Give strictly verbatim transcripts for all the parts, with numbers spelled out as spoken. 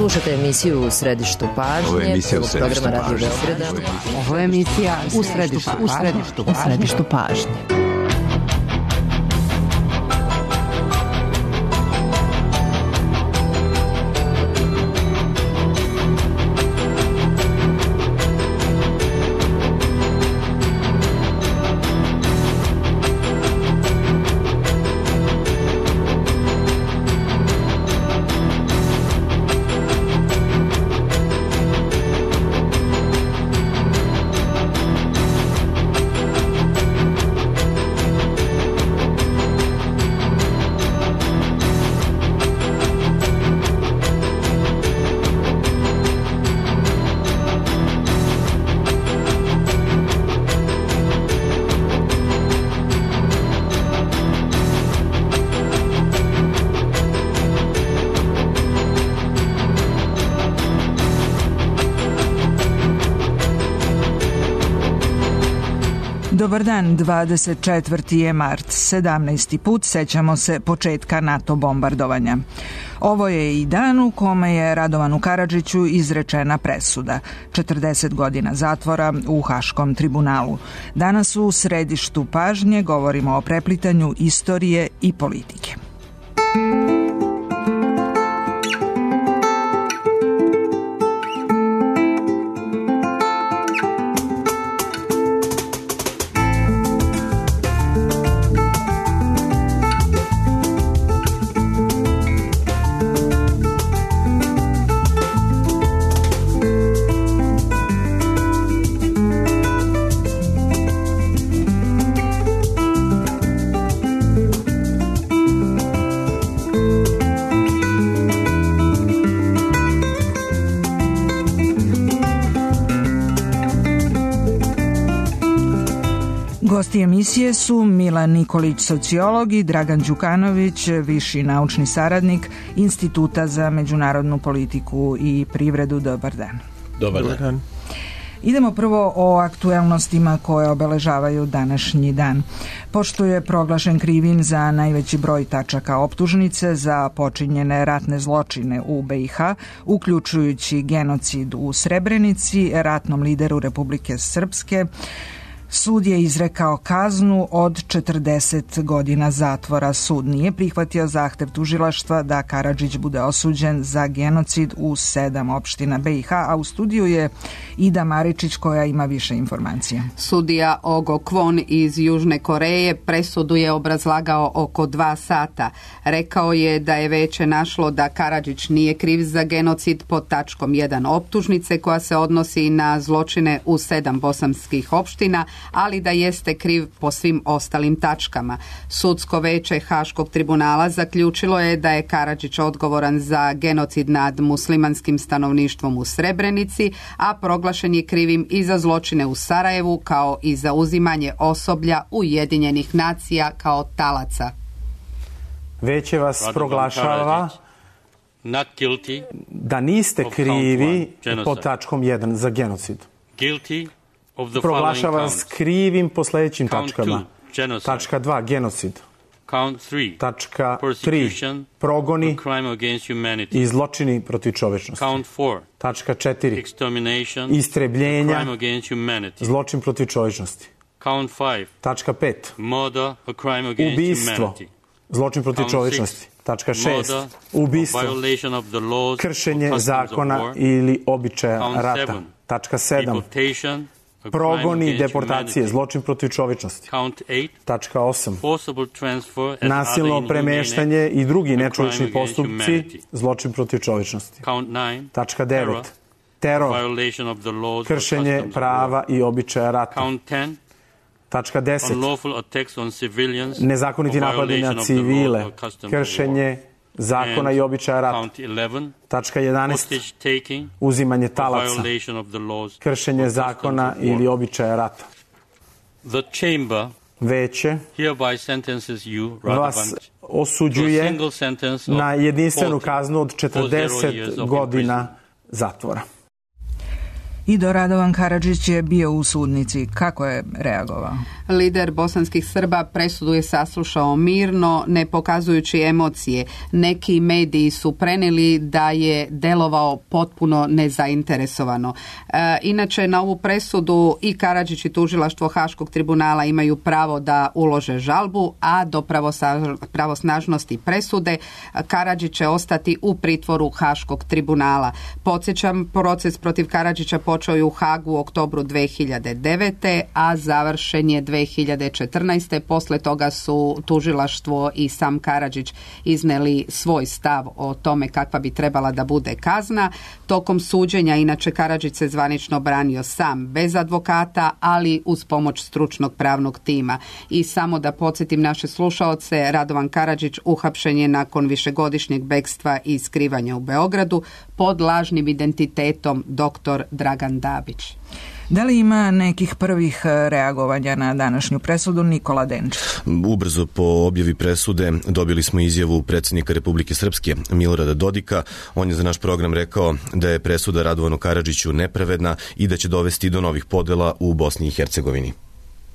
Slušate emisiju U središtu pažnje. Ovo je emisija U središtu pažnje. Ovo je emisija U središtu, u središtu, u središtu pažnje. Dobar dan, dvadeset četvrti je mart, sedamnaesti put sećamo se početka NATO bombardovanja. Ovo je i dan u kome je Radovanu Karadžiću izrečena presuda, četrdeset godina zatvora u Haškom tribunalu. Danas u središtu pažnje govorimo o preplitanju istorije i politike. Gosti emisije su Milan Nikolić, sociolog, i Dragan Đukanović, viši naučni saradnik Instituta za međunarodnu politiku i privredu. Dobar dan. Dobar dan. Idemo prvo o aktuelnostima koje obeležavaju današnji dan. Pošto je proglašen krivim za najveći broj tačaka optužnice za počinjene ratne zločine u B i H, uključujući genocid u Srebrenici, ratnom lideru Republike Srpske, sud je izrekao kaznu od četrdeset godina zatvora. Sud nije prihvatio zahtev tužilaštva da Karadžić bude osuđen za genocid u sedam opština B i H, a u studiju je Ida Maričić koja ima više informacija. Sudija Ogo Kwon iz Južne Koreje presudu je obrazlagao oko dva sata. Rekao je da je veće našlo da Karadžić nije kriv za genocid pod tačkom jedan optužnice koja se odnosi na zločine u sedam bosanskih opština, ali da jeste kriv po svim ostalim tačkama. Sudsko veće Haškog tribunala zaključilo je da je Karadžić odgovoran za genocid nad muslimanskim stanovništvom u Srebrenici, a proglašen je krivim i za zločine u Sarajevu kao i za uzimanje osoblja Ujedinjenih nacija kao talaca. Veće vas proglašava da niste krivi pod tačkom jedan za genocid. Proglašava vas krivim po sljedećim tačkama. Tačka dva, genocid. Tačka tri, progoni i zločini protiv čovečnosti. Tačka četiri, istrebljenja, zločin protiv čovečnosti. Tačka pet, ubistvo, zločin protiv čovečnosti. Tačka šest, ubistvo, kršenje zakona ili običaja rata. Tačka sedam, progoni, deportacije, zločin protiv čovečnosti. Tačka osam, nasilno premeštanje i drugi nečovečni postupci, zločin protiv čovečnosti. Tačka devet, teror, kršenje prava i običaja rata. Tačka deset, nezakoniti napadi na civile, kršenje zakona i običaja rata. Tačka jedanaest, uzimanje talaca, kršenje zakona ili običaja rata. Veće vas osuđuje na jedinstvenu kaznu od četrdeset godina zatvora. I do Radovan Karadžić je bio u sudnici. Kako je reagovao? Lider bosanskih Srba presudu je saslušao mirno, ne pokazujući emocije. Neki mediji su prenijeli da je delovao potpuno nezainteresovano. E, inače, na ovu presudu i Karadžić i tužilaštvo Haškog tribunala imaju pravo da ulože žalbu, a do pravosnažnosti presude Karadžić će ostati u pritvoru Haškog tribunala. Podsjećam, proces protiv Karadžića počeo je u Hagu u oktobru dve hiljade devete. a završen je dve hiljade četrnaeste. Posle toga su tužilaštvo i sam Karadžić izneli svoj stav o tome kakva bi trebala da bude kazna. Tokom suđenja, inače, Karadžić se zvanično branio sam, bez advokata, ali uz pomoć stručnog pravnog tima. I samo da podsjetim naše slušaoce, Radovan Karadžić uhapšen je nakon višegodišnjeg bekstva i skrivanja u Beogradu pod lažnim identitetom doktor Dragan Dabić. Da li ima nekih prvih reagovanja na današnju presudu? Nikola Denčić. Ubrzo po objavi presude dobili smo izjavu predsjednika Republike Srpske Milorada Dodika. On je za naš program rekao da je presuda Radovanu Karadžiću nepravedna i da će dovesti do novih podela u Bosni i Hercegovini.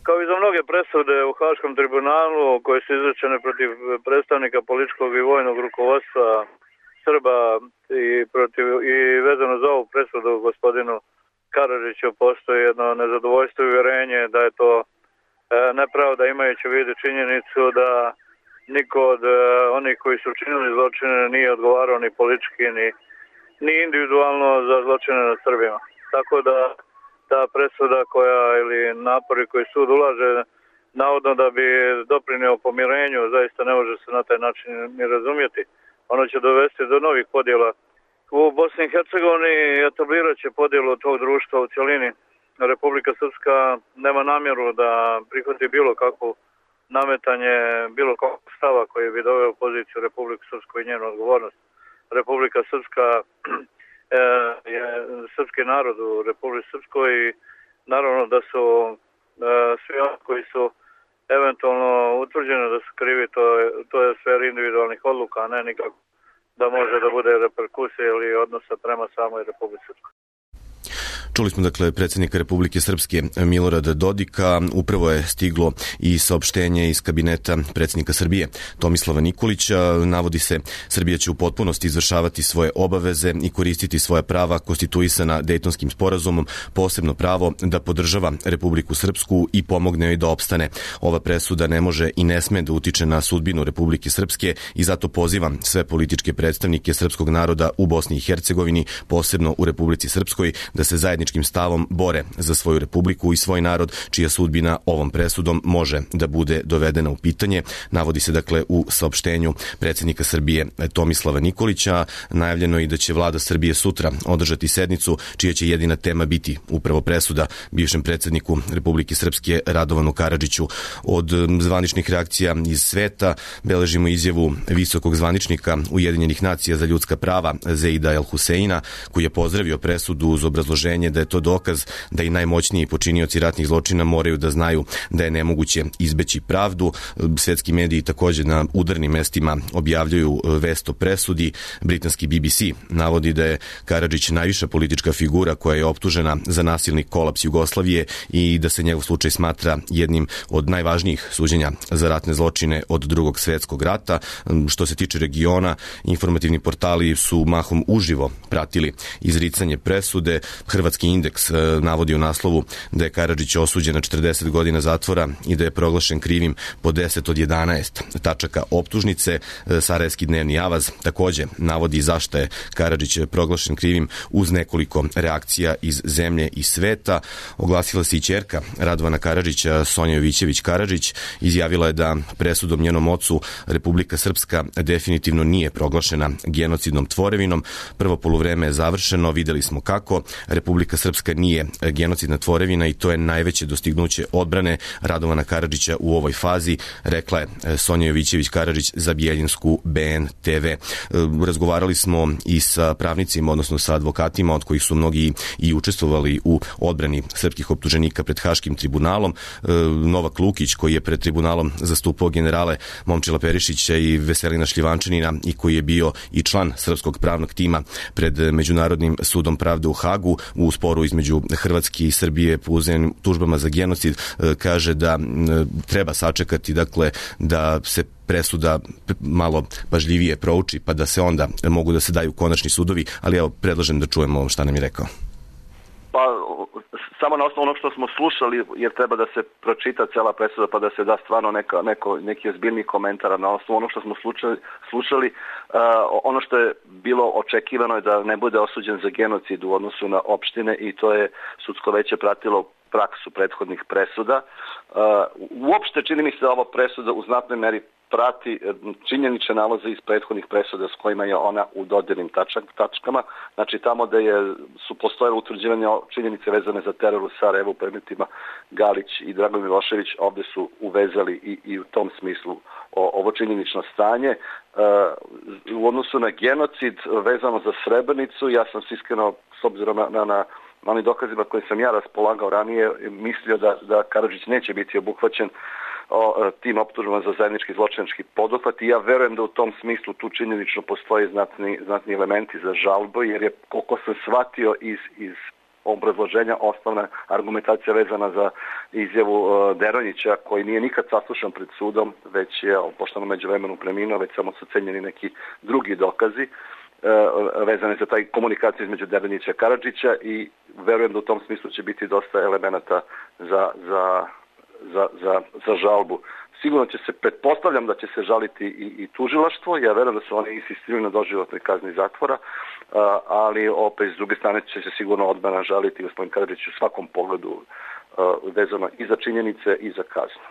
Kao i za mnoge presude u Haškom tribunalu koje su izrečene protiv predstavnika političkog i vojnog rukovodstva Srba i, protiv, i vezano za ovu presudu gospodinu Karadžiću postoji jedno nezadovoljstvo i uvjerenje da je to e, nepravda, imajući u vidu činjenicu da niko od e, onih koji su učinili zločine nije odgovarao ni politički ni, ni individualno za zločine nad Srbima. Tako da ta presuda koja ili napori koji sud ulaže navodno da bi doprinio pomirenju zaista ne može se na taj način ni razumjeti. Ono će dovesti do novih podjela u Bosni i Hercegovini, etablirat će podjelu tog društva u cjelini. Republika Srpska nema namjeru da prihvati bilo kakvu nametanje, bilo kakvog stava koji bi doveo u poziciju Republiku Srpsku i njenu odgovornost. Republika Srpska je srpski narod u Republici Srpskoj i naravno da su svi oni koji su eventualno utvrđeni da su krivi, to je, to je sfer individualnih odluka, a ne nikako da može da bude reperkusija ili odnosa prema samoj Republici Srpskoj. Čuli smo dakle predsjednika Republike Srpske Milorada Dodika, upravo je stiglo i saopštenje iz kabineta predsjednika Srbije Tomislava Nikolića. Navodi se, Srbija će u potpunosti izvršavati svoje obaveze i koristiti svoja prava konstituisana Dejtonskim sporazumom, posebno pravo da podržava Republiku Srpsku i pomogne joj da opstane. Ova presuda ne može i ne sme da utiče na sudbinu Republike Srpske i zato pozivam sve političke predstavnike srpskog naroda u Bosni i Hercegovini, posebno u Republici Srpskoj, da se zajednički stavom bore za svoju republiku i svoj narod, čija sudbina ovom presudom može da bude dovedena u pitanje. Navodi se dakle u saopštenju predsjednika Srbije Tomislava Nikolića. Najavljeno je i da će vlada Srbije sutra održati sednicu čija će jedina tema biti upravo presuda bivšem predsjedniku Republike Srpske Radovanu Karadžiću. Od zvaničnih reakcija iz sveta beležimo izjavu visokog zvaničnika Ujedinjenih nacija za ljudska prava Zeida El Huseina, koji je pozdravio presudu uz obrazloženje da je to dokaz da i najmoćniji počinioci ratnih zločina moraju da znaju da je nemoguće izbeći pravdu. Svetski mediji također na udarnim mestima objavljuju vest o presudi. Britanski B B C navodi da je Karadžić najviša politička figura koja je optužena za nasilni kolaps Jugoslavije i da se njegov slučaj smatra jednim od najvažnijih suđenja za ratne zločine od Drugog svjetskog rata. Što se tiče regiona, informativni portali su mahom uživo pratili izricanje presude. Hrvatski indeks navodi u naslovu da je Karadžić osuđen na četrdeset godina zatvora i da je proglašen krivim po deset od jedanaest tačaka optužnice. Sarajevski dnevni avaz također navodi zašto je Karadžić proglašen krivim uz nekoliko reakcija iz zemlje i sveta. Oglasila se i ćerka Radovana Karadžića, Sonja Jovićević Karadžić. Izjavila je da presudom njenom ocu Republika Srpska definitivno nije proglašena genocidnom tvorevinom. Prvo poluvreme je završeno, videli smo kako. Republika Srpska nije genocidna tvorevina i to je najveće dostignuće odbrane Radovana Karadžića u ovoj fazi, rekla je Sonja Jovićević Karadžić za Bijeljinsku B N T V. Razgovarali smo i sa pravnicima, odnosno sa advokatima, od kojih su mnogi i učestvovali u odbrani srpskih optuženika pred Haškim tribunalom. Novak Lukić, koji je pred tribunalom zastupao generale Momčila Perišića i Veselina Šljivančanina i koji je bio i član srpskog pravnog tima pred Međunarodnim sudom pravde u Hagu, u sporu između Hrvatske i Srbije po uzajamnim tužbama za genocid, kaže da treba sačekati, dakle, da se presuda malo pažljivije prouči, pa da se onda mogu da se daju konačni sudovi, ali evo, predlažem da čujemo šta nam je rekao. Pa, samo na osnovu onog što smo slušali, jer treba da se pročita cela presuda pa da se da stvarno neka, neko, neki ozbiljni komentar na osnovu onog što smo slušali, slušali uh, ono što je bilo očekivano je da ne bude osuđen za genocid u odnosu na opštine i to je sudsko veće pratilo praksu prethodnih presuda. Uh, uopšte čini mi se da ova presuda u znatnoj meri prati činjenične nalaze iz prethodnih presuda s kojima je ona u dodirnim tačkama. Znači tamo da je, su postojale utvrđivanja činjenice vezane za teror u Sarajevu, predmetima Galić i Dragan Milošević, ovde su uvezali i, i u tom smislu o, ovo činjenično stanje. E, u odnosu na genocid vezano za Srebrenicu, ja sam iskreno, s obzirom na, na, na onim dokazima koje sam ja raspolagao ranije, mislio da, da Karadžić neće biti obuhvaćen o tim optužbama za zajednički zločinački poduhvat i ja verujem da u tom smislu tu činjenično postoje znatni, znatni elementi za žalbu, jer je, koliko sam shvatio iz, iz obrazloženja, osnovna argumentacija vezana za izjavu uh, Deronjića, koji nije nikad saslušan pred sudom, već je, pošto na međuvremenu preminuo, već samo su cenjeni neki drugi dokazi uh, vezane za taj komunikaciju između Deronjića i Karadžića i verujem da u tom smislu će biti dosta elemenata za, za Za, za, za žalbu. Sigurno će se, pretpostavljam da će se žaliti i, i tužilaštvo, ja verujem da su oni insistirali na doživotnoj kazni zatvora, a, ali opet s druge strane će se sigurno odbrana žaliti gospodin Karadžić u svakom pogledu a, vezano i za činjenice i za kaznu.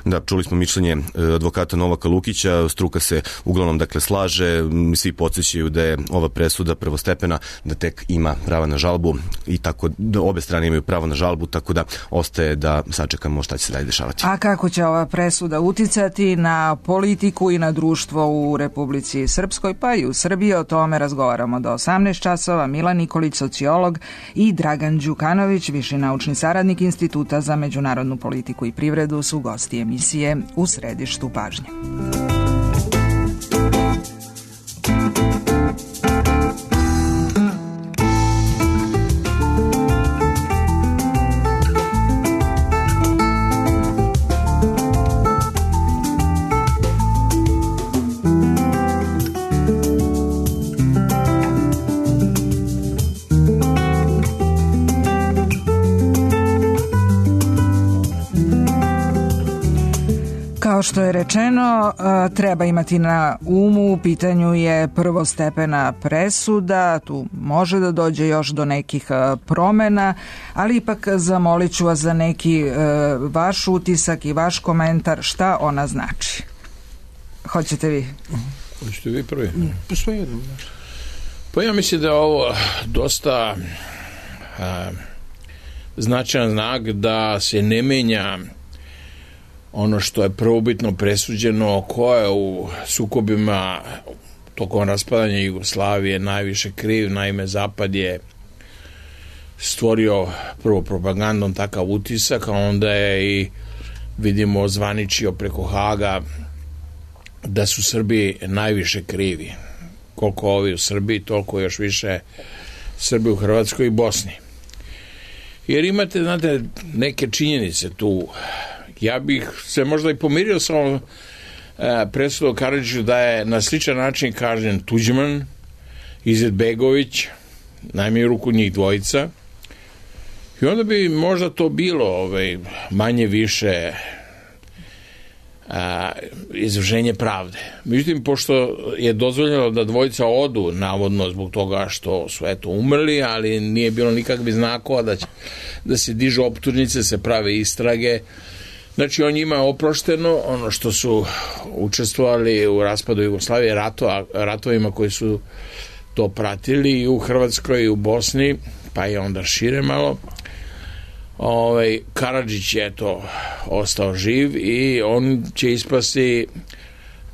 Da, čuli smo mišljenje advokata Novaka Lukića, struka se uglavnom dakle slaže, svi podsjećaju da je ova presuda prvostepena, da tek ima prava na žalbu i tako da obe strane imaju pravo na žalbu, tako da ostaje da sačekamo šta će se dalje dešavati. A kako će ova presuda uticati na politiku i na društvo u Republici Srpskoj, pa i u Srbiji? O tome razgovaramo do osamnaest časova. Milan Nikolić, sociolog, i Dragan Đukanović, viši naučni saradnik Instituta za međunarodnu politiku i privredu, su gosti emisije U središtu pažnje. Kao što je rečeno, treba imati na umu, u pitanju je prvostepena presuda, tu može da dođe još do nekih promena, ali ipak zamolit ću vas za neki vaš utisak i vaš komentar, šta ona znači. Hoćete vi? Hoćete vi prvi? Pa sve jedno. Pa ja mislim da je ovo dosta a, značajan znak da se ne menja ono što je prvobitno presuđeno, ko je u sukobima tokom raspadanja Jugoslavije najviše kriv. Naime, Zapad je stvorio prvo propagandom takav utisak, a onda je i, vidimo, zvaničio preko Haga da su Srbi najviše krivi. Koliko ovi u Srbiji, toliko još više Srbi u Hrvatskoj i Bosni. Jer imate, znate, neke činjenice tu. Ja bih se možda i pomirio sa ovom e, presudom Karadžiću da je na sličan način kažen Tuđman, Izetbegović, najmanje ruku njih dvojica, i onda bi možda to bilo ovaj, manje više a, izvršenje pravde. Međutim, pošto je dozvoljeno da dvojica odu, navodno zbog toga što su eto umrli, ali nije bilo nikakvih znakova da, će, da se dižu optužnice, se prave istrage. Znači, on njima je oprošteno ono što su učestvovali u raspadu Jugoslavije, ratova, ratovima koji su to pratili i u Hrvatskoj i u Bosni, pa je onda šire malo. Ovaj, Karadžić je to ostao živ i on će ispasti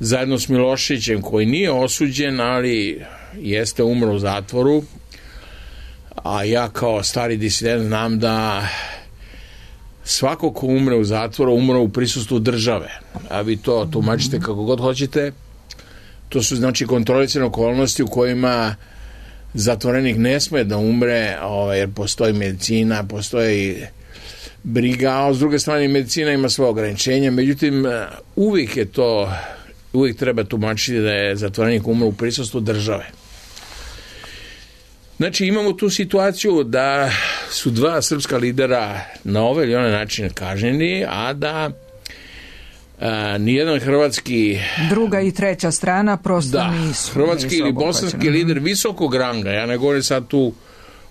zajedno s Miloševićem, koji nije osuđen, ali jeste umro u zatvoru. A ja kao stari disident znam da svako ko umre u zatvoru, umre u prisustvu države. A vi to tumačite kako god hoćete. To su, znači, kontrolisane okolnosti u kojima zatvorenik ne sme da umre, ovaj, jer postoji medicina, postoji briga, a s druge strane medicina ima svoje ograničenja, međutim uvijek je to, uvijek treba tumačiti da je zatvorenik umro u prisustvu države. Znači imamo tu situaciju da su dva srpska lidera na ovaj ili onaj način kažnjeni, a da a, nijedan hrvatski... Druga i treća strana prosto da, nisu. Hrvatski nisu ili bosanski lider visokog ranga, ja ne govorim sad tu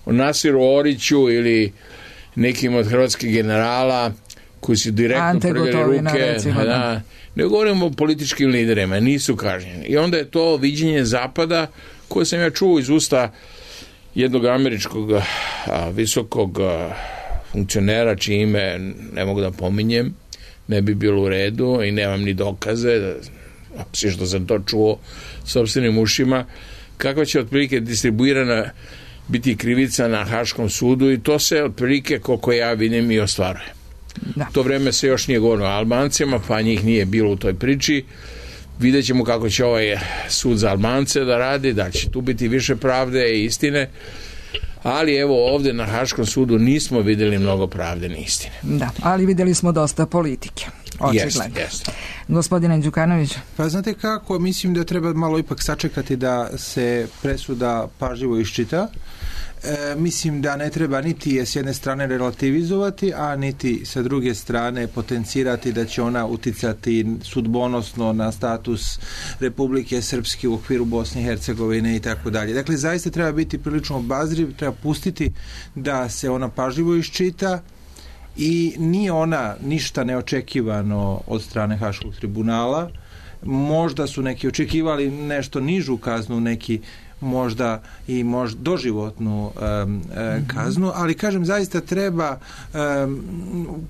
o Nasiru Oriću ili nekim od hrvatskih generala koji su direktno prljali ruke, recimo, da, ne govorimo o političkim liderima, nisu kažnjeni. I onda je to viđenje Zapada koje sam ja čuo iz usta jednog američkog a, visokog a, funkcionera, čije ime ne mogu da pominjem, ne bi bilo u redu i nemam ni dokaze, svi što sam to čuo sopstvenim ušima, kakva će otprilike distribuirana biti krivica na Haškom sudu i to se otprilike, koliko ja vidim, i ostvaruje. Da. To vreme se još nije govorilo o Albancima, pa njih nije bilo u toj priči. Vidjet ćemo kako će ovaj sud za Albance da radi, da će tu biti više pravde i istine, ali evo ovdje na Haškom sudu nismo vidjeli mnogo pravde ni istine. Da, ali vidjeli smo dosta politike. Očigledno. Jest, jest. Gospodine Đukanović. Pa znate kako, mislim da treba malo ipak sačekati da se presuda pažljivo iščita. E, mislim da ne treba niti je s jedne strane relativizovati, a niti sa druge strane potencirati da će ona uticati sudbonosno na status Republike Srpske u okviru Bosne i Hercegovine i tako dalje. Dakle, zaista treba biti prilično obazriv, treba pustiti da se ona pažljivo iščita i nije ona ništa neočekivano od strane Haškog tribunala. Možda su neki očekivali nešto nižu kaznu, neki možda i možda doživotnu um, uh, kaznu, ali kažem, zaista treba um,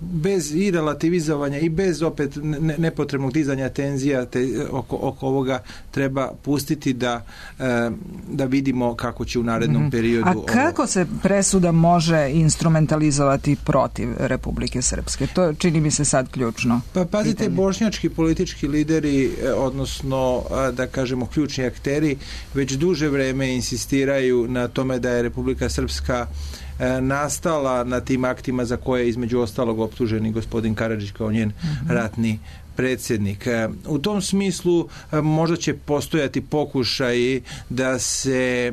bez i relativizovanja i bez opet ne, nepotrebnog dizanja tenzija te, oko, oko ovoga treba pustiti da, um, da vidimo kako će u narednom mm-hmm. periodu... A kako ovo... se presuda može instrumentalizovati protiv Republike Srpske? To čini mi se sad ključno. Pa pazite, pitanje. Bošnjački politički lideri, odnosno da kažemo ključni akteri, već duže vreme insistiraju na tome da je Republika Srpska e, nastala na tim aktima za koje je između ostalog optuženi gospodin Karadžić kao njen mm-hmm. ratni predsjednik. E, u tom smislu e, možda će postojati pokušaj da se e,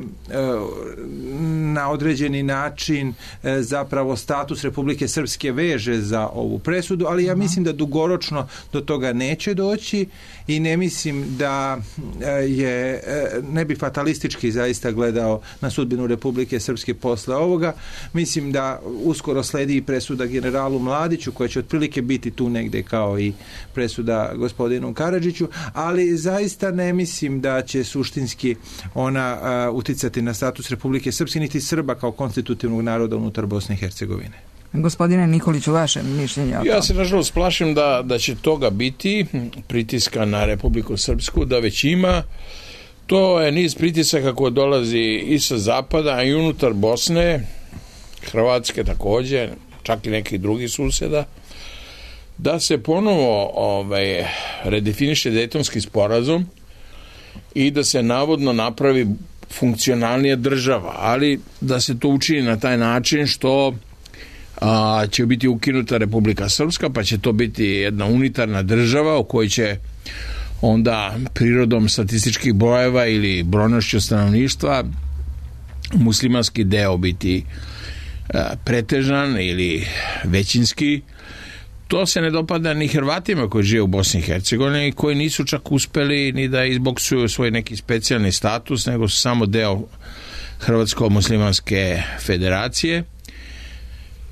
na određeni način e, zapravo status Republike Srpske veže za ovu presudu, ali ja mislim da dugoročno do toga neće doći i ne mislim da je, ne bi fatalistički zaista gledao na sudbinu Republike Srpske posle ovoga. Mislim da uskoro sledi i presuda generalu Mladiću, koja će otprilike biti tu negde kao i presuda gospodinu Karadžiću, ali zaista ne mislim da će suštinski ona uh, uticati na status Republike Srpske niti Srba kao konstitutivnog naroda unutar Bosne i Hercegovine. Gospodine Nikoliću, vaše mišljenje o tom? Ja se nažalost plašim da, da će toga biti pritiska na Republiku Srpsku, da već ima. To je niz pritisaka koje dolazi i sa zapada, a i unutar Bosne, Hrvatske također, čak i nekih drugih susjeda, da se ponovo ovaj, redefiniše Dejtonski sporazum i da se navodno napravi funkcionalnija država, ali da se to učini na taj način što a, će biti ukinuta Republika Srpska, pa će to biti jedna unitarna država u kojoj će onda prirodom statističkih brojeva ili brojnošću stanovništva muslimanski deo biti a, pretežan ili većinski. To se ne dopada ni Hrvatima koji žive u Bosni i Hercegovini i koji nisu čak uspeli ni da izboksuju svoj neki specijalni status, nego su samo deo Hrvatsko-muslimanske federacije.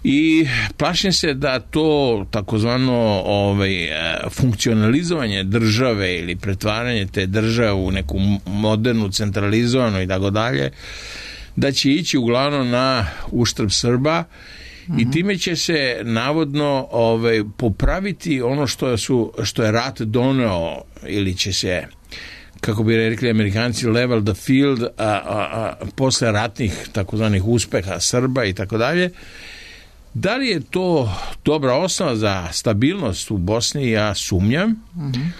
I plašim se da to takozvano ovaj, funkcionalizovanje države ili pretvaranje te države u neku modernu, centralizovanu i tako dalje, da će ići uglavnom na uštrb Srba. Mm-hmm. I time će se navodno ovaj, popraviti ono što, su, što je rat doneo, ili će se, kako bi rekli Amerikanci, level the field, a, a, a, posle ratnih takozvanih uspeha Srba i tako dalje. Da li je to dobra osnova za stabilnost u Bosni? Ja sumnjam. Mm-hmm.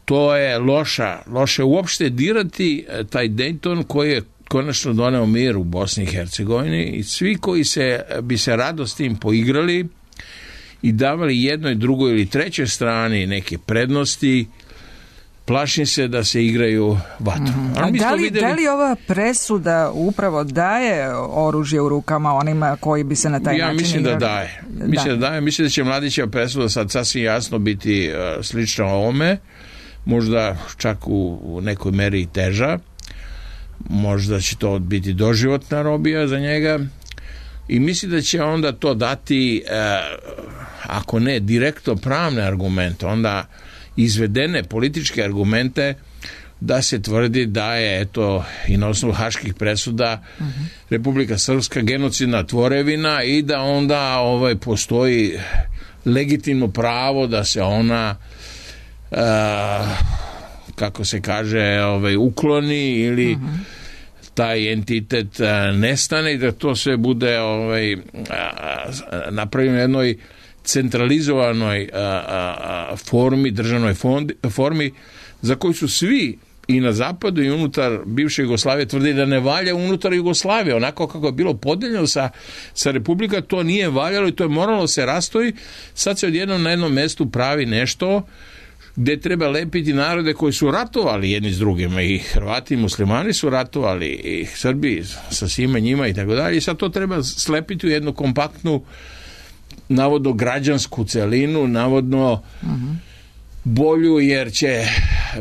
To je loša, loše uopšte dirati taj Dayton koji je konačno doneo mir u Bosni i Hercegovini i svi koji se, bi se rado s tim poigrali i davali jednoj, drugoj ili trećoj strani neke prednosti, plašim se da se igraju vatru. Mm-hmm. A da li, videli... da li ova presuda upravo daje oružje u rukama onima koji bi se na taj ja način... Ja mislim igrali? da daje. Mislim da. da daje. Mislim da će Mladićeva presuda sad sasvim jasno biti uh, slična ovome, možda čak u, u nekoj meri i teža. Možda će to biti doživotna robija za njega i mislim da će onda to dati uh, ako ne direktno pravne argumente, onda izvedene političke argumente da se tvrdi da je eto i na osnovu haških presuda uh-huh. Republika Srpska genocidna tvorevina i da onda ovaj postoji legitimno pravo da se ona uh, kako se kaže ovaj ukloni ili uh-huh. taj entitet uh, nestane i da to sve bude ovaj uh, napravljeno jednoj centralizovanoj a, a, formi, državnoj fondi, formi za koju su svi i na zapadu i unutar bivše Jugoslavije tvrdi da ne valja unutar Jugoslavije. Onako kako je bilo podeljeno sa, sa Republika, to nije valjalo i to je moralo se rastoji. Sad se odjednom na jednom mestu pravi nešto gdje treba lepiti narode koji su ratovali jedni s drugima. I Hrvati i muslimani su ratovali i Srbi sa svima njima i tako dalje. I sad to treba slepiti u jednu kompaktnu navodno građansku celinu, navodno uh-huh. bolju, jer će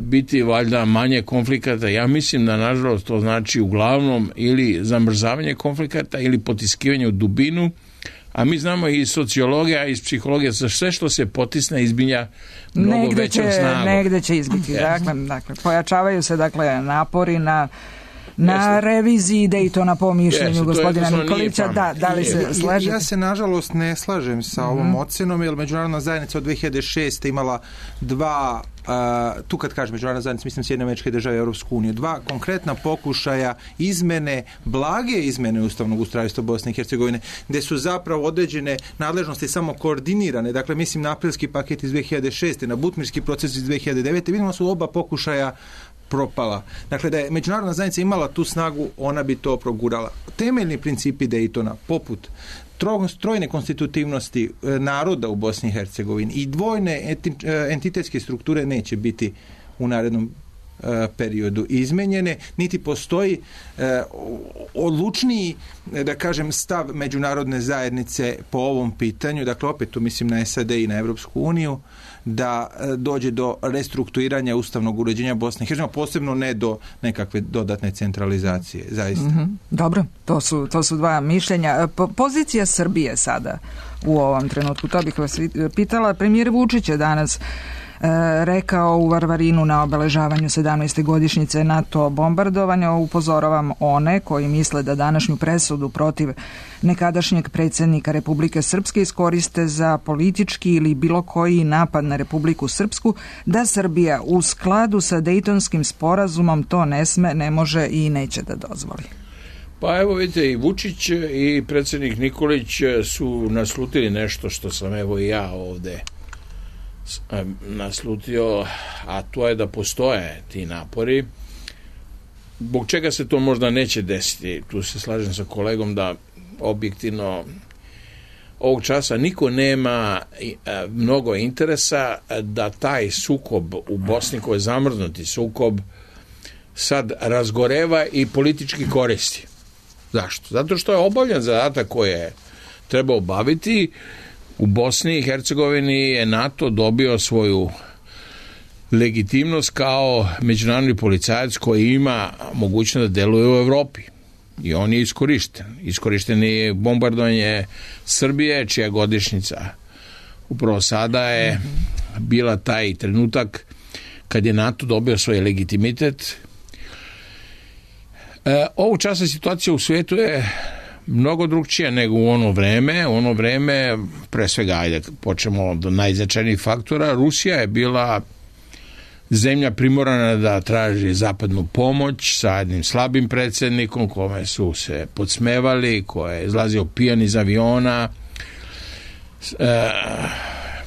biti valjda manje konflikata. Ja mislim da nažalost to znači uglavnom ili zamrzavanje konflikata ili potiskivanje u dubinu, a mi znamo i iz sociologija i iz psihologije za sve što se potisne izbilja mnogo negde većom će, snagom. Negde će izbiti. Dakle, dakle, pojačavaju se dakle napori na na Jeste. reviziji Daytona po mišljenju Jeste, gospodina Nikolića. Da, da li se slažete? Ja se nažalost ne slažem sa ovom mm-hmm. ocenom, jer međunarodna zajednica od dve hiljade šeste imala dva, uh, tu kad kažem međunarodna zajednica, mislim Sjedinjene Američke Države i Europsku uniju, dva konkretna pokušaja izmene, blage izmene ustavnog ustrojstva Bosne i Hercegovine, gde su zapravo određene nadležnosti samo koordinirane. Dakle, mislim na aprilski paket iz dve hiljade šeste, na butmirski proces iz dve hiljade devete. Vidimo su oba pokušaja propala. Dakle, da je međunarodna zajednica imala tu snagu, ona bi to progurala. Temeljni principi Daytona, poput trojne konstitutivnosti naroda u Bosni i Hercegovini i dvojne entitetske strukture neće biti u narednom periodu izmenjene, niti postoji odlučniji, da kažem, stav međunarodne zajednice po ovom pitanju. Dakle, opet tu mislim na S A D i na Evropsku uniju, da dođe do restrukturiranja ustavnog uređenja Bosne i Hercegovine, posebno ne do nekakve dodatne centralizacije, zaista. Mm-hmm. Dobro, to su, to su dva mišljenja. Po, pozicija Srbije sada u ovom trenutku, to bih vas pitala. Premijer Vučić je danas rekao u Varvarinu na obeležavanju sedamnaeste godišnjice NATO bombardovanja. Upozoravam one koji misle da današnju presudu protiv nekadašnjeg predsjednika Republike Srpske iskoriste za politički ili bilo koji napad na Republiku Srpsku, da Srbija u skladu sa Dejtonskim sporazumom to ne sme, ne može i neće da dozvoli. Pa evo vidite, i Vučić i predsjednik Nikolić su naslutili nešto što sam evo i ja ovde naslutio, a to je da postoje ti napori. Zbog čega se to možda neće desiti? Tu se slažem sa kolegom da objektivno ovog časa niko nema mnogo interesa da taj sukob u Bosni, koji je zamrznuti sukob, sad razgoreva i politički koristi. Zašto? Zato što je obavljan zadatak koji je treba obaviti. U Bosni i Hercegovini je NATO dobio svoju legitimnost kao međunarodni policajac koji ima mogućnost da deluje u Evropi. I on je iskorišten. Iskorišten je bombardovanje Srbije, čija godišnjica upravo sada je bila taj trenutak kad je NATO dobio svoj legitimitet. E, ovu časa situacija u svijetu je mnogo drugčija nego u ono vreme. U ono vreme, pre svega, ajde, počnemo od najznačajnijih faktora, Rusija je bila zemlja primorana da traži zapadnu pomoć sa jednim slabim predsjednikom kome su se podsmevali, koji je izlazio pijan iz aviona, e,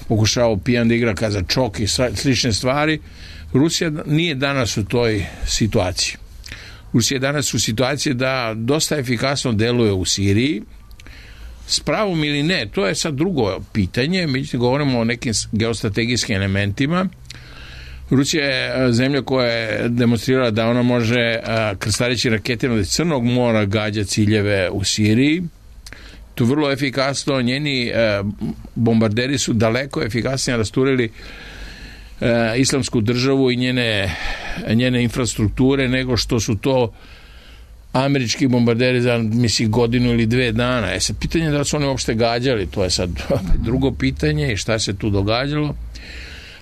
pokušao pijan da igra kazačok i slične stvari. Rusija nije danas u toj situaciji. Rusija je danas u situaciji da dosta efikasno deluje u Siriji. S pravom ili ne, to je sad drugo pitanje, međutim govorimo o nekim geostrategijskim elementima. Rusija je zemlja koja je demonstrirala da ona može krstareći raketima iz Crnog mora gađa ciljeve u Siriji. To je vrlo efikasno, njeni bombarderi su daleko efikasnije rasturili islamsku državu i njene, njene infrastrukture nego što su to američki bombarderi za, mislim, godinu ili dve dana. E sad, pitanje je da su oni uopšte gađali, to je sad drugo pitanje i šta se tu događalo.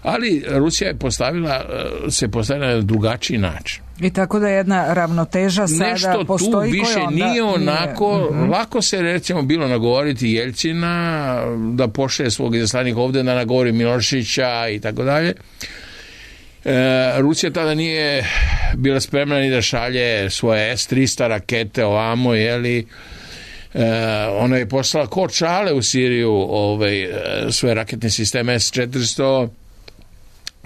Ali Rusija je postavila, se postavila na drugačiji način. I tako da jedna ravnoteža sada nešto postoji. Nešto tu više onda nije onako, nije. Mm-hmm. lako se recimo bilo nagovoriti Jeljcina da pošle svog izaslanika ovde, da nagovori Miloševića i tako dalje. E, Rusija tada nije bila spremna ni da šalje svoje es trista rakete ovamo, jeli, e, ona je poslala ko čale u Siriju ovaj, svoje raketne sisteme es četiristo,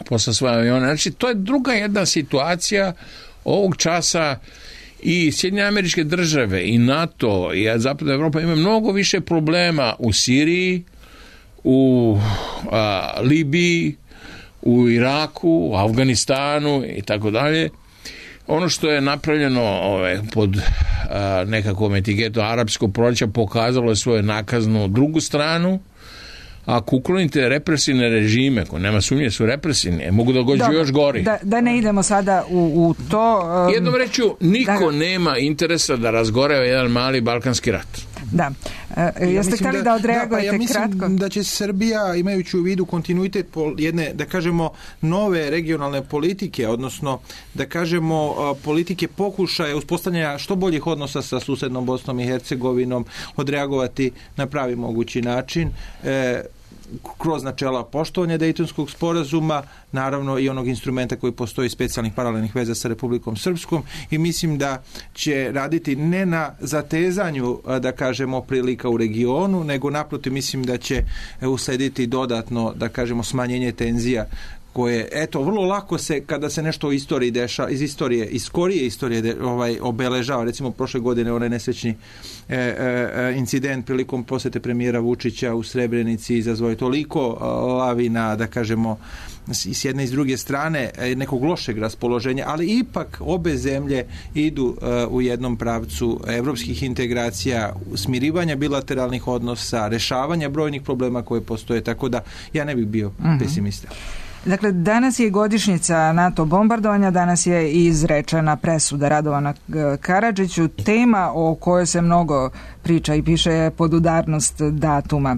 posla svoje avione. Znači, to je druga jedna situacija ovog časa i Sjedinjene Američke Države i NATO i Zapadna Evropa ima mnogo više problema u Siriji, u a, Libiji, u Iraku, u Afganistanu i tako dalje. Ono što je napravljeno ove, pod a, nekakvom etiketom arapskog proleća pokazalo je svoju nakaznu drugu stranu. Ako uklonite represivne režime, ko nema sumnje su represivni, mogu da gođu još gori. Da, da ne idemo sada u, u to... Um, Jednom reću, niko da, nema interesa da razgoreva jedan mali balkanski rat. Da. E, jeste ja htjeli da, da odreagujete da, pa ja mislim kratko? Da će Srbija, imajući u vidu kontinuitet jedne, da kažemo, nove regionalne politike, odnosno, da kažemo, politike pokušaja uspostavljanja što boljih odnosa sa susednom Bosnom i Hercegovinom, odreagovati na pravi mogući način, e, kroz načela poštovanja Dejtonskog sporazuma, naravno i onog instrumenta koji postoji, specijalnih paralelnih veza sa Republikom Srpskom, i mislim da će raditi ne na zatezanju, da kažemo, prilika u regionu, nego naprotiv mislim da će uslediti dodatno, da kažemo, smanjenje tenzija koje, eto, vrlo lako se, kada se nešto u istoriji deša, iz istorije, iz skorije istorije de, ovaj, obeležava, recimo prošle godine onaj nesrećni e, e, incident prilikom posete premijera Vučića u Srebrenici izazvao je toliko lavina, da kažemo, s jedne i s druge strane nekog lošeg raspoloženja, ali ipak obe zemlje idu uh, u jednom pravcu evropskih integracija, smirivanja bilateralnih odnosa, rešavanja brojnih problema koje postoje, tako da ja ne bih bio mm-hmm. pesimista. Dakle, danas je godišnjica NATO bombardovanja, danas je izrečena presuda Radovana Karadžiću. Tema o kojoj se mnogo priča i piše je podudarnost datuma.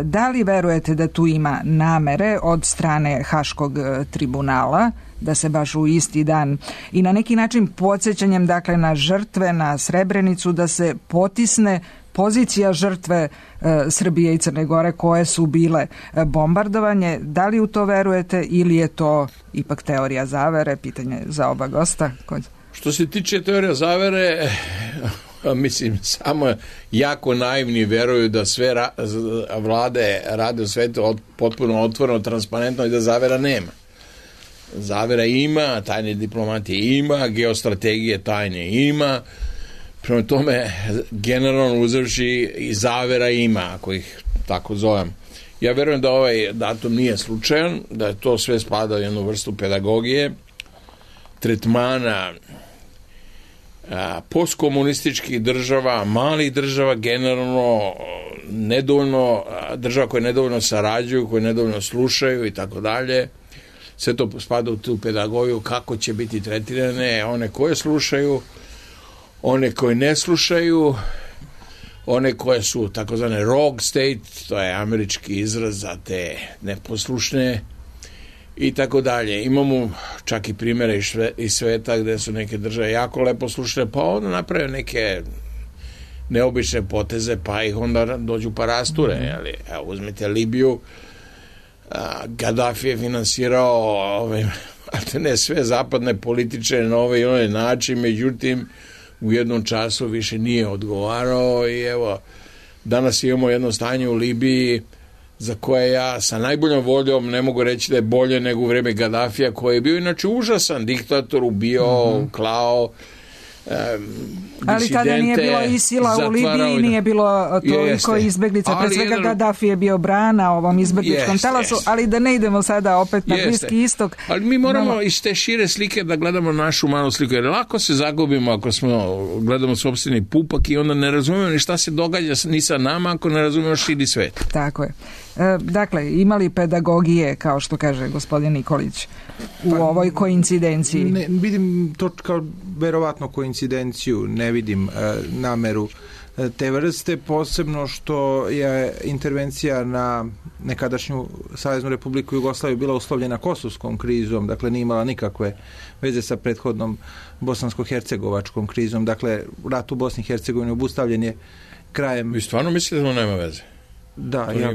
Da li verujete da tu ima namere od strane Haškog tribunala da se baš u isti dan i na neki način podsjećanjem, dakle, na žrtve, na Srebrenicu, da se potisne pozicija žrtve e, Srbije i Crne Gore koje su bile e, bombardovanje? Da li u to verujete ili je to ipak teorija zavere? Pitanje za oba gosta. Kod... Što se tiče teorija zavere, mislim, samo jako naivni veruju da sve ra- vlade rade u svetu od, potpuno otvoreno, transparentno i da zavera nema. Zavera ima, tajne diplomatije ima, geostrategije tajne ima. Prema tome, generalno uzevši i zavera ima, ako ih tako zovem. Ja verujem da ovaj datum nije slučajan, da je to sve spada u jednu vrstu pedagogije, tretmana a, postkomunističkih država, malih država, generalno nedovoljno, država koje nedovoljno sarađuju, koje nedovoljno slušaju i tako dalje. Sve to spada u tu pedagogiju kako će biti tretirane, one koje slušaju, one koje ne slušaju, one koje su takozvane rogue state, to je američki izraz za te neposlušne i tako dalje. Imamo čak i primjere iz, šve, iz sveta gde su neke države jako lepo slušne, pa onda naprave neke neobične poteze, pa ih onda dođu pa rasture. Jeli? Evo, uzmite Libiju, a, Gaddafi je finansirao ove, ne sve zapadne političare na ovaj i onaj način, međutim u jednom času više nije odgovarao i evo, danas imamo jedno stanje u Libiji za koje ja sa najboljom voljom ne mogu reći da je bolje nego u vreme Gaddafija, koji je bio inače užasan diktator, ubio, mm-hmm. klao Ali tada nije bilo Isila u Libiji, nije bilo toliko izbeglica, pre svega jedan... Gaddafi je bio brana ovom izbegličkom talasu, ali da ne idemo sada opet na jeste. Bliski istok. Ali mi moramo no... iz te šire slike da gledamo našu malu sliku, jer lako se zagubimo ako smo gledamo sopstveni pupak i onda ne razumemo ni šta se događa ni sa nama ako ne razumemo širi svet. Tako je. E, dakle, imali pedagogije, kao što kaže gospodin Nikolić, u pa, ovoj koincidenciji? Ne, vidim to kao verovatno koincidenciju, ne vidim e, nameru e, te vrste, posebno što je intervencija na nekadašnju Saveznu Republiku Jugoslaviju bila uslovljena kosovskom krizom, dakle nije imala nikakve veze sa prethodnom bosansko-hercegovačkom krizom, dakle rat u Bosni i Hercegovini obustavljen je krajem... Vi stvarno mislite da to nema veze? Da, ja,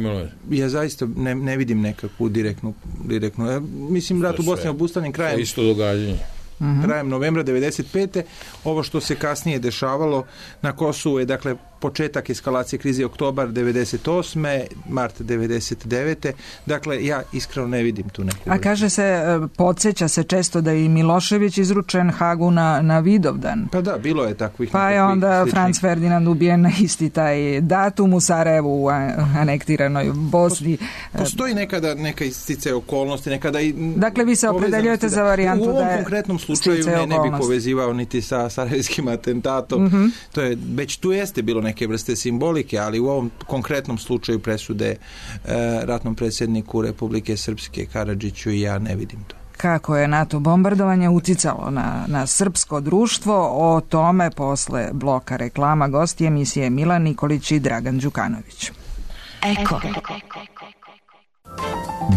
ja zaista ne, ne vidim nekakvu direktnu, direktnu ja, mislim rat u Bosni je obustavljen krajem isto događanje. Uh-huh. krajem novembra devedeset pete. Ovo što se kasnije dešavalo na Kosovu je dakle početak eskalacije krize oktobar devedeset osme, mart devedeset devete. Dakle, ja iskreno ne vidim tu neku... A kaže se, podsjeća se često da je i Milošević izručen Hagu na, na Vidovdan. Pa da, bilo je takvih... Pa je onda sličnih. Franz Ferdinand ubijen na isti taj datum u Sarajevu, u anektiranoj Bosni. Postoji nekada neka istice okolnosti, nekada i... Dakle, vi se opredeljujete za varijantu da je... U ovom konkretnom slučaju ne, ne bi povezivao niti sa sarajevskim atentatom. Mm-hmm. To je, već tu jeste bilo neke vrste simbolike, ali u ovom konkretnom slučaju presude e, ratnom predsjedniku Republike Srpske Karadžiću i ja ne vidim to. Kako je NATO bombardovanje uticalo na, na srpsko društvo, o tome posle bloka reklama gosti emisije Milan Nikolić i Dragan Đukanović. Eko.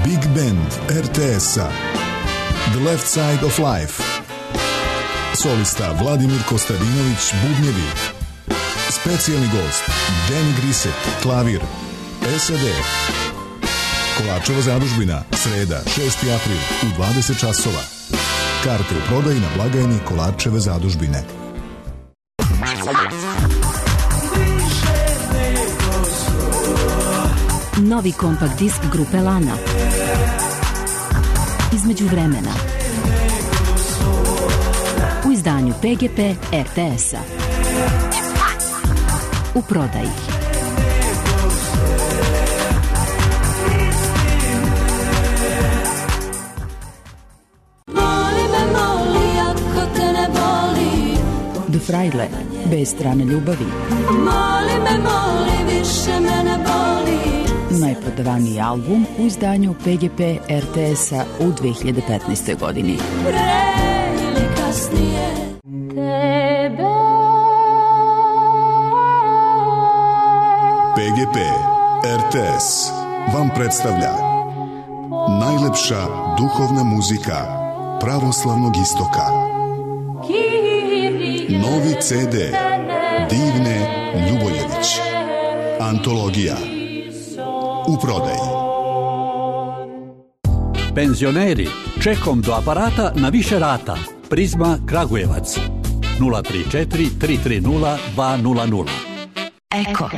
Big Band er te es-a The Left Side of Life. Solista Vladimir Kostadinović, bubnjevi. Specijalni gost Danny Grisset, klavir. es a de. Kolarčeva zadužbina, sreda, šesti april u dvadeset časova. Karte u prodaji na blagajni Kolarčeve zadužbine. Novi kompakt disk grupe Lana. Između vremena. U izdanju P G P er te es-a. U prodaji. The Fraile, bez strane ljubavi. Moli me, moli, više me ne boli. Najprodavaniji album u izdanju P G P er te es-a u dve hiljade petnaestoj. godini. Pre ili kasnije tebe. P G P er te es vam predstavlja najlepša duhovna muzika pravoslavnog istoka. Novi ce de Divne Ljubojević. Antologija. U prodaji. Penzioneri, čekom do aparata na više rata. Prizma Kragujevac. nula tri četiri tri tri nula dva nula nula. Eko.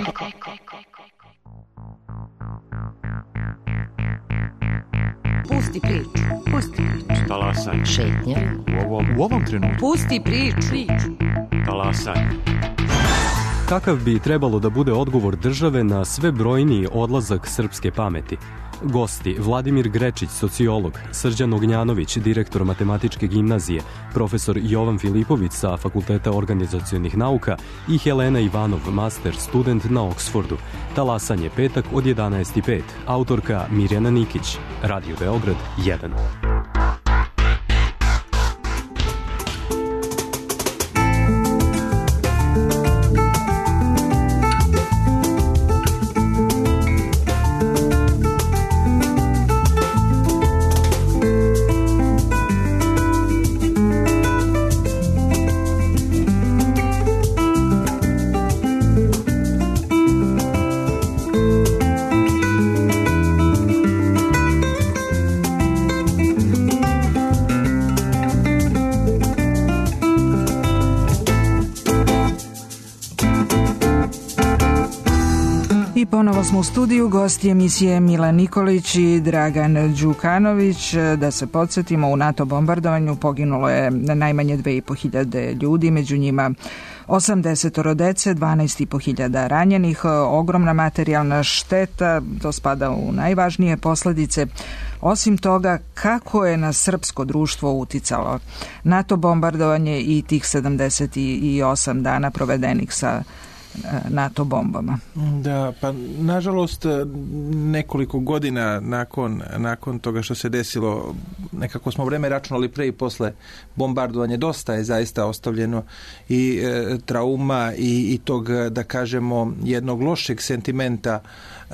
Pusti priču. Pusti priču. Talasaj. Šetnja. U ovom, u ovom trenutku. Pusti priču. Talasaj. Kakav bi trebalo da bude odgovor države na sve brojniji odlazak srpske pameti? Gosti Vladimir Grečić, sociolog, Srđan Ognjanović, direktor matematičke gimnazije, profesor Jovan Filipović sa Fakulteta organizacionih nauka i Helena Ivanov, master student na Oksfordu. Talasanje petak od jedanaest i pet. Autorka Mirjana Nikić. Radio Beograd jedan. Ponovo smo u studiju, gosti emisije Mila Nikolić i Dragan Đukanović. Da se podsjetimo, u NATO bombardovanju poginulo je najmanje dve i po hiljade ljudi, među njima osamdeset dece, dvanaest i po hiljada ranjenih, ogromna materijalna šteta, to spada u najvažnije posledice. Osim toga, kako je na srpsko društvo uticalo NATO bombardovanje i tih sedamdeset osam dana provedenih sa NATO bombama? Da, pa nažalost nekoliko godina nakon, nakon toga što se desilo, nekako smo vreme računali pre i posle bombardovanja, dosta je zaista ostavljeno i e, trauma i, i tog, da kažemo, jednog lošeg sentimenta e,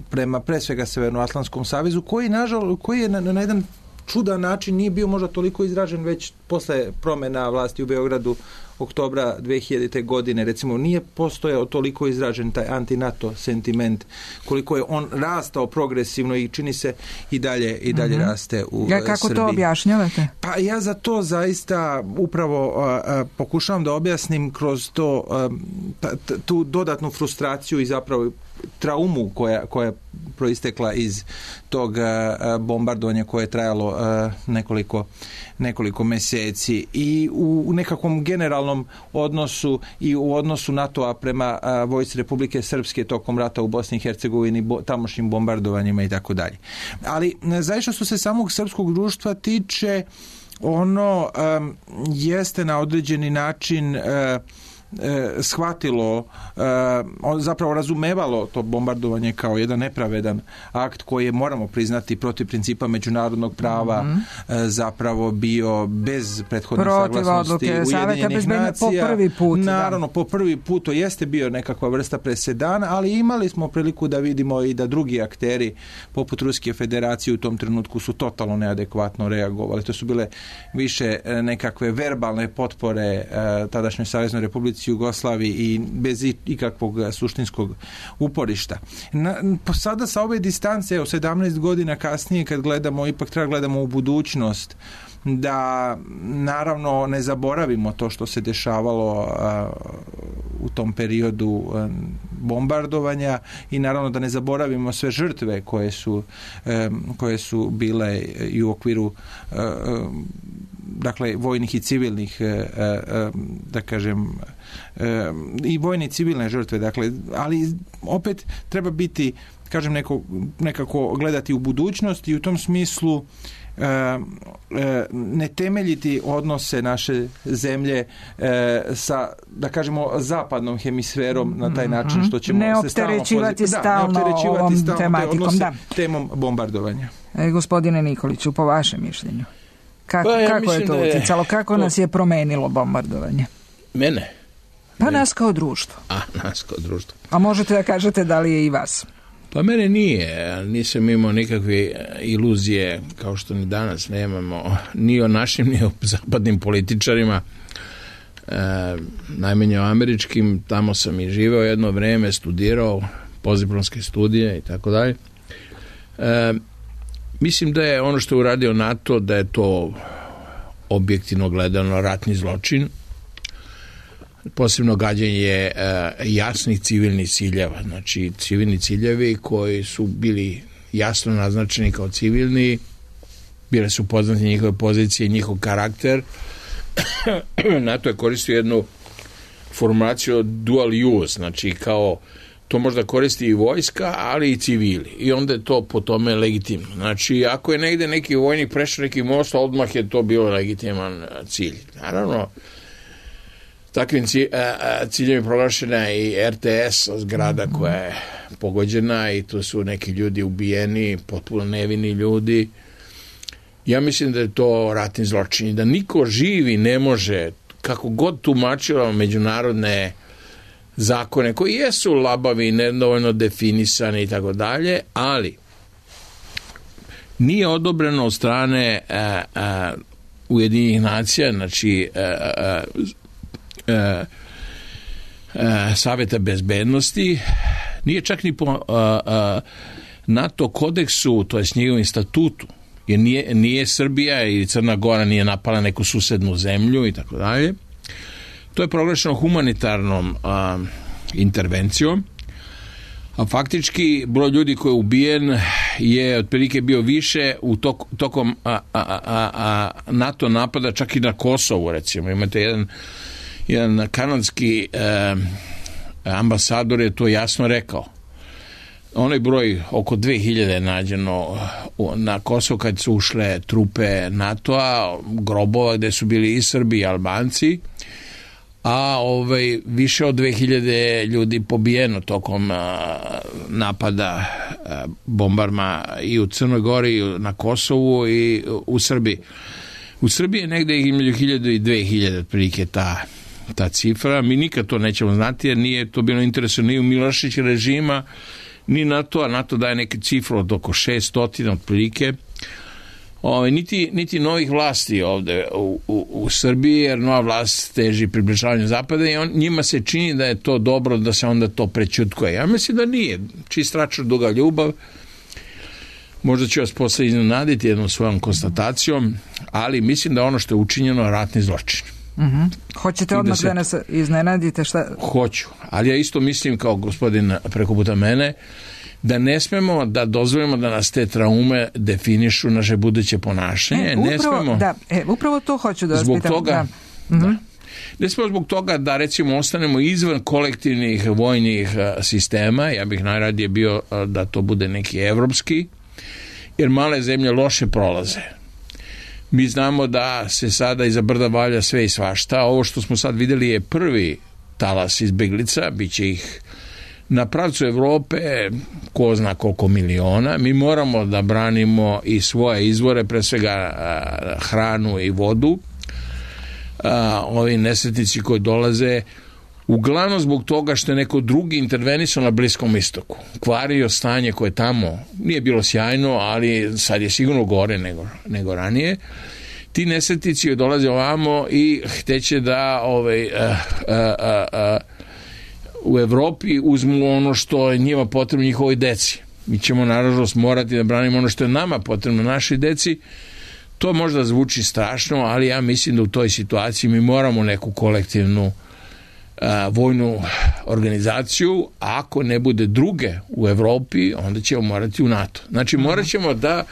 prema pre svega Severnoatlantskom savezu, koji, nažalost, koji je na, na jedan čudan način nije bio možda toliko izražen već posle promena vlasti u Beogradu oktobra dve hiljadite. godine, recimo, nije postojao toliko izražen taj anti-NATO sentiment, koliko je on rastao progresivno i čini se i dalje i dalje mm-hmm. raste u ja, kako Srbiji. To objašnjavate? Pa ja za to zaista upravo a, a, pokušavam da objasnim kroz to a, ta, ta, tu dodatnu frustraciju i zapravo traumu koja, koja je proistekla iz tog a, bombardovanja koje je trajalo a, nekoliko nekoliko meseci i u nekakvom generalnom odnosu i u odnosu NATO-a prema a, vojsci Republike Srpske tokom rata u Bosni i Hercegovini, bo, tamošnjim bombardovanjima i tako dalje. Ali zaista što se samog srpskog društva tiče, ono um, jeste na određeni način uh, E, shvatilo, e, zapravo razumevalo to bombardovanje kao jedan nepravedan akt koji je, moramo priznati, protiv principa međunarodnog prava mm-hmm. e, zapravo bio bez prethodne protiv saglasnosti Ujedinjenih nacija. Po prvi put, Naravno, da. po prvi put to jeste bio nekakva vrsta presedana, ali imali smo priliku da vidimo i da drugi akteri poput Ruske federacije u tom trenutku su totalno neadekvatno reagovali. To su bile više nekakve verbalne potpore e, tadašnjoj Saveznoj Republici Jugoslaviji i bez ikakvog suštinskog uporišta. Na, sada sa ove distance, evo sedamnaest godina kasnije, kad gledamo, ipak treba gledamo u budućnost, da naravno ne zaboravimo to što se dešavalo a, u tom periodu a, bombardovanja i naravno da ne zaboravimo sve žrtve koje su, a, koje su bile i u okviru a, dakle vojnih i civilnih a, a, da kažem a, i vojne i civilne žrtve, dakle, ali opet treba biti, kažem, neko, nekako gledati u budućnost i u tom smislu E, e, ne temeljiti odnose naše zemlje e, sa, da kažemo, zapadnom hemisferom na taj način što ćemo ne se stalno opterećivati stalno, da, ne opterećivati ovom stalno tematikom, da. temom bombardovanja. E, gospodine Nikoliću, po vašem mišljenju, kako, pa, ja kako je to je, uticalo, kako to... nas je promenilo bombardovanje? Mene? Pa Mene. Nas kao društvo. A, nas kao društvo. A možete da kažete da li je i vas? Pa mene nije, nisam imao nikakve iluzije, kao što ni danas nemamo, ni o našim, ni o zapadnim političarima, e, najmanje o američkim. Tamo sam i živeo jedno vreme, studirao postdiplomske studije i tako dalje. E, mislim da je ono što je uradio NATO, da je to objektivno gledano ratni zločin, posebno gađanje uh, jasnih civilnih ciljeva, znači civilni ciljevi koji su bili jasno naznačeni kao civilni, bile su poznate njihove pozicije i njihov karakter. NATO je koristio jednu formulaciju dual use, znači kao to možda koristi i vojska, ali i civili. I onda je to po tome legitimno. Znači, ako je negde neki vojnik prešao neki most, odmah je to bilo legitiman cilj. Naravno, takvim ciljem je proglašena i R T S zgrada koja je pogođena i tu su neki ljudi ubijeni, potpuno nevini ljudi. Ja mislim da je to ratni zločin i da niko živi ne može, kako god tumačilo međunarodne zakone koji jesu labavi, nedovoljno definisani i tako dalje, ali nije odobreno od strane a, a, Ujedinjenih nacija, znači a, a, a, a, Saveta bezbednosti, nije čak ni po a, a, NATO kodeksu, to je s njegovim statutu, jer nije, nije Srbija i Crna Gora nije napala neku susednu zemlju i tako dalje. To je proglašeno humanitarnom a, intervencijom A faktički broj ljudi koji je ubijen je otprilike bio više u tok, tokom a, a, a, a NATO napada čak i na Kosovu, recimo. Imate jedan, jedan kanadski eh, ambasador je to jasno rekao. Onaj broj oko dve hiljade je nađeno na Kosovu kad su ušle trupe NATO-a, grobova gde su bili i Srbi i Albanci, a ovaj, više od dve hiljade ljudi pobijeno tokom a, napada a, bombarma i u Crnoj Gori, i na Kosovu i u Srbiji. U Srbiji je negde između hiljadu i dve hiljade otprilike ta, ta cifra. Mi nikad to nećemo znati jer nije to bilo interesno ni u Milošević režima, ni NATO, a NATO daje neke cifre od oko šeststotina otprilike. O, niti, niti novih vlasti ovde u, u, u Srbiji, jer nova vlast teži približavanju zapada i on, njima se čini da je to dobro da se onda to prećutkuje. Ja mislim da nije. Čist račun, duga ljubav. Možda ću vas posle iznenaditi jednom svojom konstatacijom, ali mislim da ono što je učinjeno je ratni zločin. Uh-huh. Hoćete odmah da, se... da nas iznenadite? Šta? Hoću, ali ja isto mislim kao gospodin preko puta mene da ne smemo da dozvolimo da nas te traume definišu naše buduće ponašanje. E, upravo, ne smemo, da, e, upravo to hoću da vas zbog pitam. Toga, da. Uh-huh. da. Ne smemo zbog toga da recimo ostanemo izvan kolektivnih vojnih sistema. Ja bih najradije bio da to bude neki evropski, jer male zemlje loše prolaze. Mi znamo da se sada iza brda valja sve i svašta. Ovo što smo sad videli je prvi talas izbeglica, bit će ih na pravcu Evrope ko zna koliko miliona. Mi moramo da branimo i svoje izvore, pre svega hranu i vodu. Ovi nesretnici koji dolaze uglavnom zbog toga što je neko drugi intervenisao na Bliskom istoku. Kvario stanje koje tamo nije bilo sjajno, ali sad je sigurno gore nego, nego ranije. Ti nesretnici dolaze ovamo i hteće da ovaj, a, a, a, a, u Evropi uzmu ono što je njima potrebno njihovoj deci. Mi ćemo naravnost morati da branimo ono što je nama potrebno našoj deci. To možda zvuči strašno, ali ja mislim da u toj situaciji mi moramo neku kolektivnu a, vojnu organizaciju, a ako ne bude druge u Evropi, onda ćemo morati u NATO. Znači morat ćemo da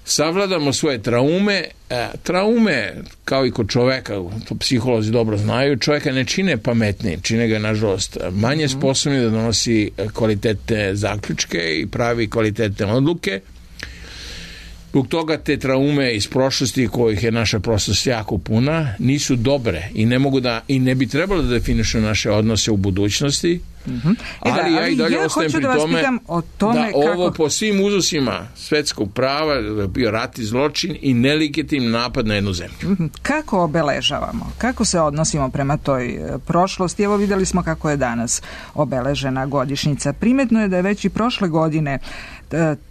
savladamo svoje traume. A, traume, kao i kod čoveka, to psiholozi dobro znaju, čoveka ne čine pametnije, čine ga nažalost manje sposobni da donosi kvalitetne zaključke i pravi kvalitetne odluke. Zbog toga te traume iz prošlosti, kojih je naša prošlost jako puna, nisu dobre i ne mogu da i ne bi trebalo da definišu naše odnose u budućnosti. Mm-hmm. E da, ali ja i dalje ja ostajem pri da tome, o tome da kako... ovo po svim uzusima svetskog prava je bio rat i zločin i nelegitimni napad na jednu zemlju. Mm-hmm. Kako obeležavamo? Kako se odnosimo prema toj prošlosti? Evo videli smo kako je danas obeležena godišnjica. Primetno je da je već i prošle godine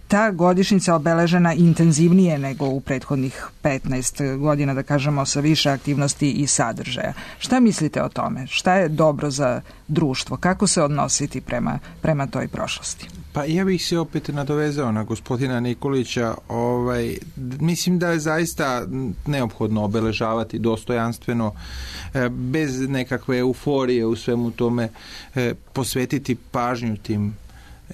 ta godišnjica obeležena intenzivnije nego u prethodnih petnaest godina, da kažemo, sa više aktivnosti i sadržaja. Šta mislite o tome? Šta je dobro za društvo? Kako se odnositi prema, prema toj prošlosti? Pa ja bih se opet nadovezao na gospodina Nikolića. Ovaj, mislim da je zaista neophodno obeležavati dostojanstveno, bez nekakve euforije u svemu tome, posvetiti pažnju tim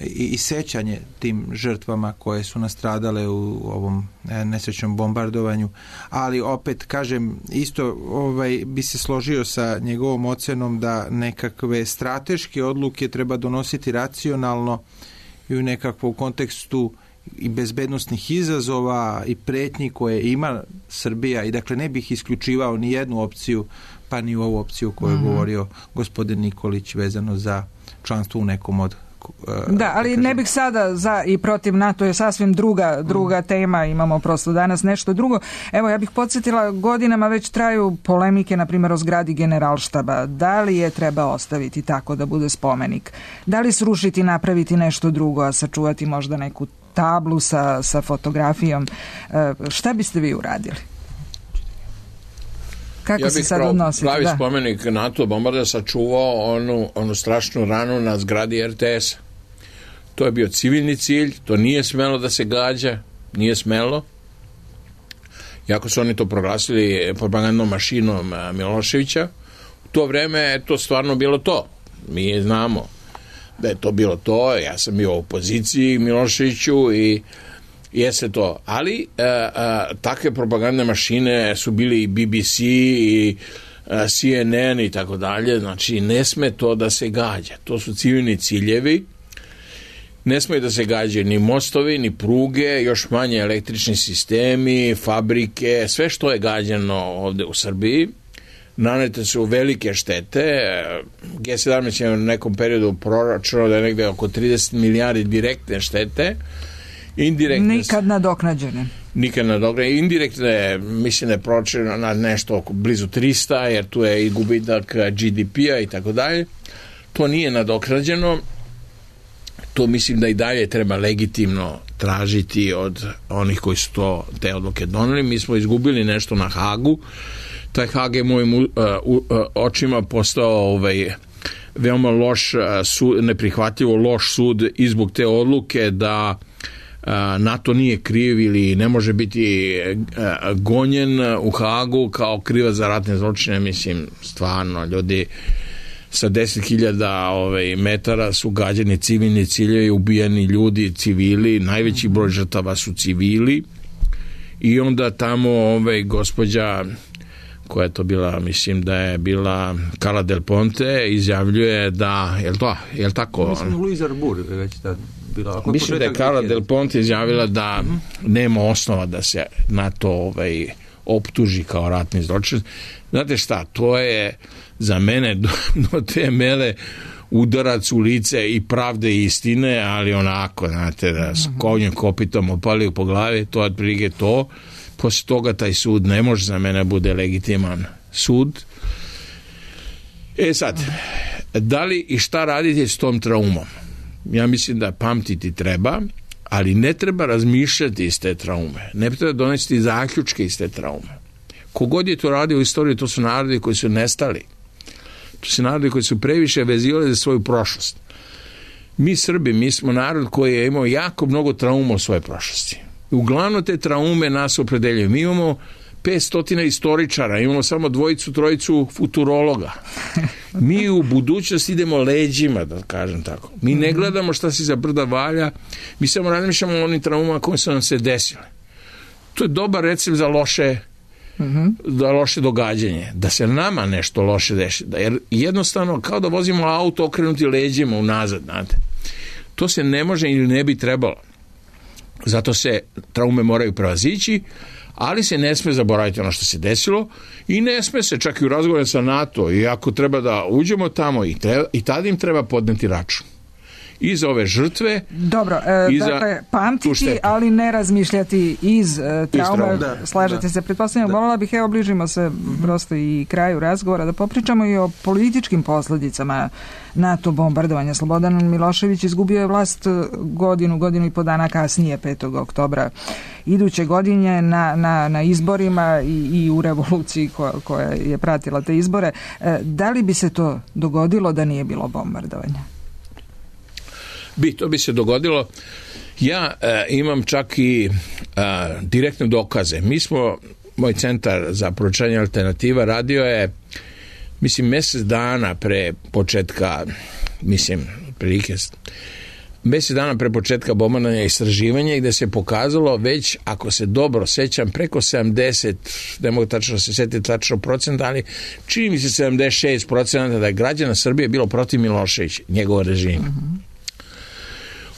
i, i sećanje tim žrtvama koje su nastradale u ovom nesrećnom bombardovanju, ali opet kažem isto ovaj, bi se složio sa njegovom ocenom da nekakve strateške odluke treba donositi racionalno i u nekakvom kontekstu i bezbednostnih izazova i pretnji koje ima Srbija, i dakle ne bih isključivao ni jednu opciju, pa ni ovu opciju koju je mm-hmm. govorio gospodin Nikolić vezano za članstvo u nekom od. Da, ali ne bih sada za i protiv NATO, je sasvim druga, druga tema, imamo prosto danas nešto drugo. Evo, ja bih podsjetila, godinama već traju polemike, na primjer o zgradi Generalštaba. Da li je treba ostaviti tako da bude spomenik? Da li srušiti, napraviti nešto drugo, a sačuvati možda neku tablu sa, sa fotografijom? E, šta biste vi uradili? Kako ja se sad odnositi? Pravi da. spomenik NATO bombarda sačuvao onu, onu strašnu ranu na zgradi R T S. To je bio civilni cilj, to nije smelo da se gađa, nije smelo. Iako su oni to proglasili propagandnom mašinom Miloševića, u to vreme je to stvarno bilo to. Mi je znamo. da je to bilo to, ja sam bio u opoziciji Miloševiću i jeste to, ali a, a, takve propagandne mašine su bili i B B C i a, C N N i tako dalje, znači ne sme to da se gađa, to su civilni ciljevi, ne smije da se gađaju ni mostovi, ni pruge, još manje električni sistemi, fabrike, sve što je gađano ovde u Srbiji. Nanete su velike štete. G sedamnaest je u nekom periodu proračunao da je negde oko trideset milijardi direktne štete. Indirektne, nikad nadoknađene. Nikad nadoknađene. Indirektne, mislim da je proračunao na nešto oko blizu trista, jer tu je i gubitak G D P-a i tako dalje. To nije nadoknađeno. To mislim da i dalje treba legitimno tražiti od onih koji su to, te odluke doneli. Mi smo izgubili nešto na Hagu. Taj Hag je mojim uh, uh, očima postao ovaj, veoma loš sud, neprihvatljivo loš sud i zbog te odluke da uh, NATO nije kriv ili ne može biti uh, gonjen u Hagu kao krivac za ratne zločine. Mislim, stvarno, ljudi sa deset hiljada ovaj, metara su gađani civilni ciljevi, ubijeni ljudi, civili, najveći broj žrtava su civili i onda tamo ovaj, gospođa koja je to bila, mislim da je bila Carla Del Ponte, izjavljuje da, je li to, je li tako? Mislim, Luisa Arbur već da bila. Mislim da je Carla Del Ponte izjavila da mm-hmm. nema osnova da se na to ovaj, optuži kao ratni zločin. Znate šta, to je za mene do, do te mele udarac u lice i pravde i istine, ali onako, znate, da s konjem kopitom opalio po glavi, to je otprilike to. Posle toga taj sud ne može za mene bude legitiman sud. E sad, da li i šta raditi s tom traumom? Ja mislim da pamtiti treba, ali ne treba razmišljati iz te traume. Ne treba donesti zaključke iz te traume. Kogod je to radio u istoriji, to su narodi koji su nestali. To su narodi koji su previše vezivali za svoju prošlost. Mi Srbi, mi smo narod koji je imao jako mnogo trauma u svojoj prošlosti. Uglavnom te traume nas opredeljuju. Mi imamo petsto istoričara, imamo samo dvojicu, trojicu futurologa. Mi u budućnost idemo leđima, da kažem tako. Mi ne gledamo šta se za brda valja, mi samo razmišljamo o onim traumama koje su nam se desile. To je dobar recept za loše, mm-hmm. za loše događanje. Da se nama nešto loše deši. Jer jednostavno, kao da vozimo auto okrenuti leđima unazad, znate. To se ne može ili ne bi trebalo. Zato se traume moraju prevazići, ali se ne sme zaboraviti ono što se desilo i ne sme se čak i u razgovoru sa NATO i ako treba da uđemo tamo i, treba, i tada im treba podneti račun. I za ove žrtve. Dobro, e, dakle, pamtiti, ali ne razmišljati iz e, traume. Da, slažete da. se, pretpostavljam. Voljela bih, evo, bližimo se mm-hmm. prosto i kraju razgovora, da popričamo i o političkim posljedicama NATO bombardovanja. Slobodan Milošević izgubio je vlast godinu, godinu i po dana kasnije, petog oktobra iduće godine na, na, na izborima i, i u revoluciji koja, koja je pratila te izbore. E, da li bi se to dogodilo da nije bilo bombardovanja? Bi, to bi se dogodilo. Ja e, imam čak i e, direktne dokaze. Mi smo, moj centar za proučavanje alternativa radio je, mislim, mjesec dana pre početka, mislim, prilike, mjesec dana pre početka bombardovanja istraživanja gde se pokazalo već, ako se dobro sećam, preko sedamdeset, ne mogu tačno se setiti tačno procenta, ali čini mi se sedamdeset šest procenta da je građana Srbije bilo protiv Miloševića, njegova režima. Mm-hmm.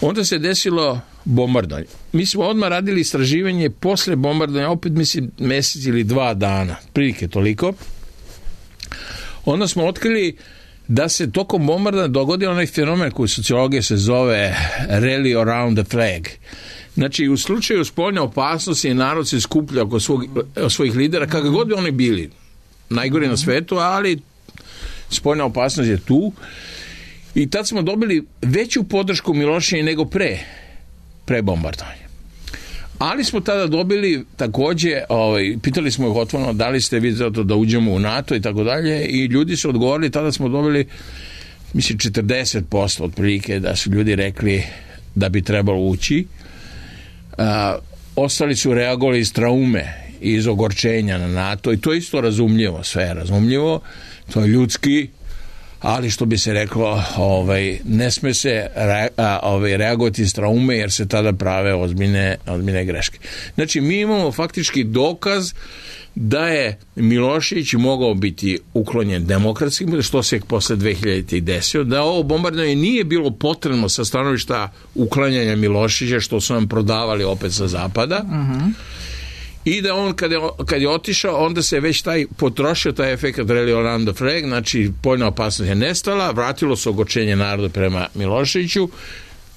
Onda se desilo bombardovanje. Mi smo odmah radili istraživanje posle bombardovanja, opet mislim mjesec ili dva dana, prilike toliko. Onda smo otkrili da se tokom bombardovanja dogodio onaj fenomen koji u sociologiji se zove rally around the flag. Znači, u slučaju spoljne opasnosti narod se skuplja oko svog, svojih lidera, kako god bi oni bili. Najgori na svetu, ali spoljna opasnost je tu. I tad smo dobili veću podršku Miloševića nego pre, pre bombardovanja. Ali smo tada dobili takođe, ovaj, pitali smo ih otvoreno da li ste vi zato da uđemo u NATO i tako dalje i ljudi su odgovorili, tada smo dobili mislim četrdeset posto otprilike da su ljudi rekli da bi trebalo ući. A, ostali su reagovali iz traume, iz ogorčenja na NATO i to je isto razumljivo, sve je razumljivo, to je ljudski, ali što bi se reklo, ovaj, ne sme se re, a, ovaj, reagovati s traume jer se tada prave ozbiljne, ozbiljne greške. Znači, mi imamo faktički dokaz da je Milošević mogao biti uklonjen demokratskim, što se posle dve hiljadite i desio, da ovo bombardovanje nije bilo potrebno sa stanovišta uklanjanja Miloševića, što su nam prodavali opet sa zapada, uh-huh. I da on kad je, kad je otišao, onda se već taj potrošio taj efekt Reli Orlando Freg, znači poljna opasnost je nestala, vratilo se ogorčenje naroda prema Miloševiću,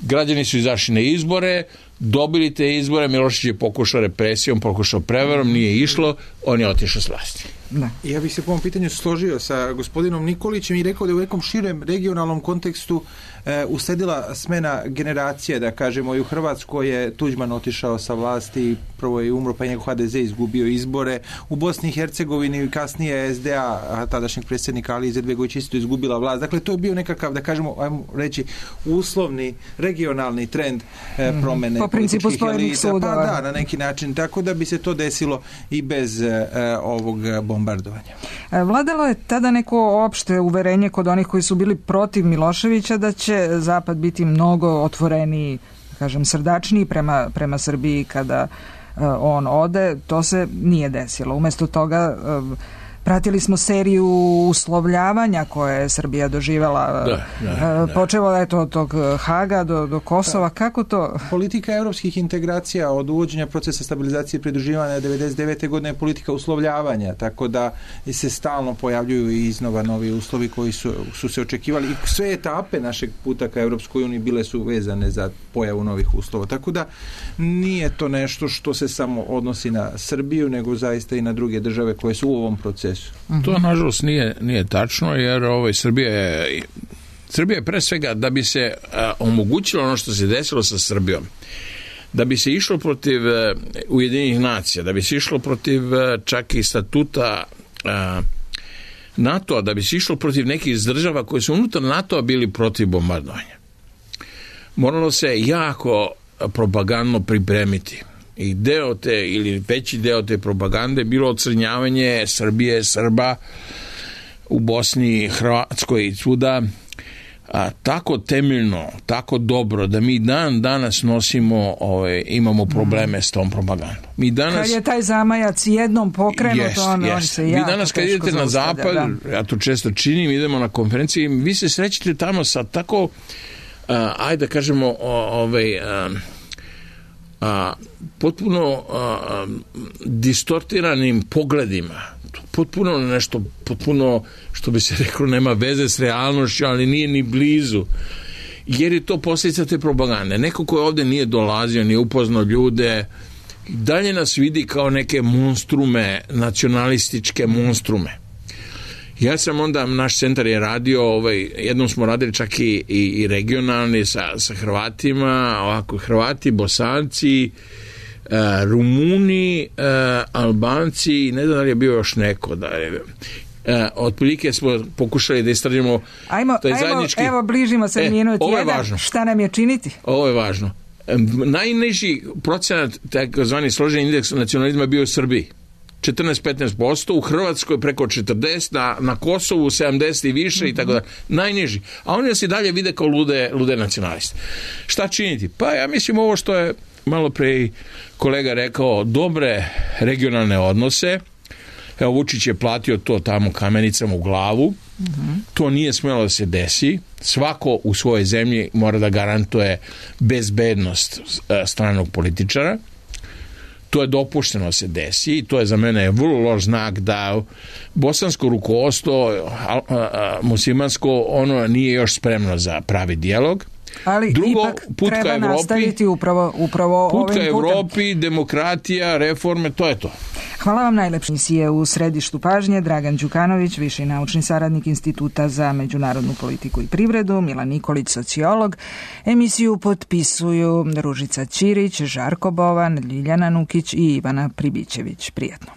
građani su izašli na izbore, dobili te izbore, Milošević je pokušao represijom, pokušao prevarom, nije išlo, on je otišao s vlasti. Da. Ja bih se po ovom pitanju složio sa gospodinom Nikolićem i rekao da je u nekom širem regionalnom kontekstu e, usledila smena generacije, da kažemo, i u Hrvatskoj je Tuđman otišao sa vlasti, prvo je umro, pa je njegov ha de ze izgubio izbore, u Bosni i Hercegovini i kasnije es de a, tadašnjeg predsjednika Alije Izetbegović isto izgubila vlast. Dakle, to je bio nekakav, da kažemo, ajmo reći, uslovni, regionalni trend e, promene po principu spojenih sudova. Pa da, na neki način, tako da bi se to desilo i bez e, ovog bombardovanja. Vladalo je tada neko opšte uverenje kod onih koji su bili protiv Miloševića da će Zapad biti mnogo otvoreniji, kažem, srdačniji prema, prema Srbiji kada uh, on ode. To se nije desilo. Umesto toga uh, pratili smo seriju uslovljavanja koje je Srbija doživjela, da, da, da. počelo je to od tog Haga do, do Kosova. Kako to? Politika evropskih integracija od uvođenja procesa stabilizacije i pridruživanja devedeset devete godine je politika uslovljavanja, tako da se stalno pojavljuju i iznova novi uslovi koji su, su se očekivali i sve etape našeg puta ka Evropskoj uniji bile su vezane za pojavu novih uslova. Tako da nije to nešto što se samo odnosi na Srbiju, nego zaista i na druge države koje su u ovom procesu. To nažalost nije, nije tačno, jer ovaj, Srbija je Srbija je pre svega da bi se a, omogućilo ono što se desilo sa Srbijom, da bi se išlo protiv a, Ujedinjenih nacija, da bi se išlo protiv a, čak i statuta a, NATO-a, da bi se išlo protiv nekih država koje su unutar NATO-a bili protiv bombardovanja. Moralo se jako propagandno pripremiti. I deo te, ili veći deo te propagande bilo ocrnjavanje Srbije, Srba u Bosni, Hrvatskoj i svuda, a, tako temeljno, tako dobro da mi dan danas nosimo, ove, imamo probleme mm. s tom propagandom. Mi danas, kad je taj zamajac jednom pokrenut, jest, on, jest. on se vi jako danas kad idete na zapad, da. Ja to često činim, idemo na konferenciji, vi se srećete tamo sa tako, a, ajde da kažemo, o, ovaj... A, a, potpuno a, distortiranim pogledima, potpuno nešto, potpuno, što bi se reklo, nema veze s realnošću, ali nije ni blizu, jer je to posljedica te propagande. Neko ko ovdje nije dolazio, nije upoznao ljude, dalje nas vidi kao neke monstrume, nacionalističke monstrume. Ja sam onda, naš centar je radio, ovaj, jednom smo radili čak i, i, i regionalni sa, sa Hrvatima, ovako Hrvati, Bosanci, uh, Rumuni, uh, Albanci, ne znam da li je bio još neko, da je, uh, otprilike smo pokušali da istražimo ajmo, taj ajmo, zajednički... Evo, bližimo se e, minut ovo je jedan, važno. Šta nam je činiti? Ovo je važno. Najniži procenat, takozvani složeni indeks nacionalizma bio u Srbiji. četrnaest do petnaest posto, u Hrvatskoj preko četrdeset, na, na Kosovu sedamdeset i više, mm-hmm. i tako da, najniži. A oni nas i dalje vide kao lude, lude nacionaliste. Šta činiti? Pa ja mislim ovo što je malo pre kolega rekao, dobre regionalne odnose. Evo, Vučić je platio to tamo kamenicama u glavu. Mm-hmm. To nije smjelo da se desi. Svako u svojoj zemlji mora da garantuje bezbednost stranog političara. To je dopušteno se desi i to je za mene vrlo loš znak da bosansko rukovodstvo, muslimansko, ono nije još spremno za pravi dijalog. Ali drugo, ipak put treba ka Evropi, nastaviti upravo, upravo put ovim ka putem. Evropi, demokratija, reforme, to je to. Hvala vam najlepše. Emisije u središtu pažnje Dragan Đukanović, viši naučni saradnik Instituta za međunarodnu politiku i privredu, Milan Nikolić, sociolog. Emisiju potpisuju Ružica Ćirić, Žarko Bovan, Ljiljana Nukić i Ivana Pribićević. Prijetno.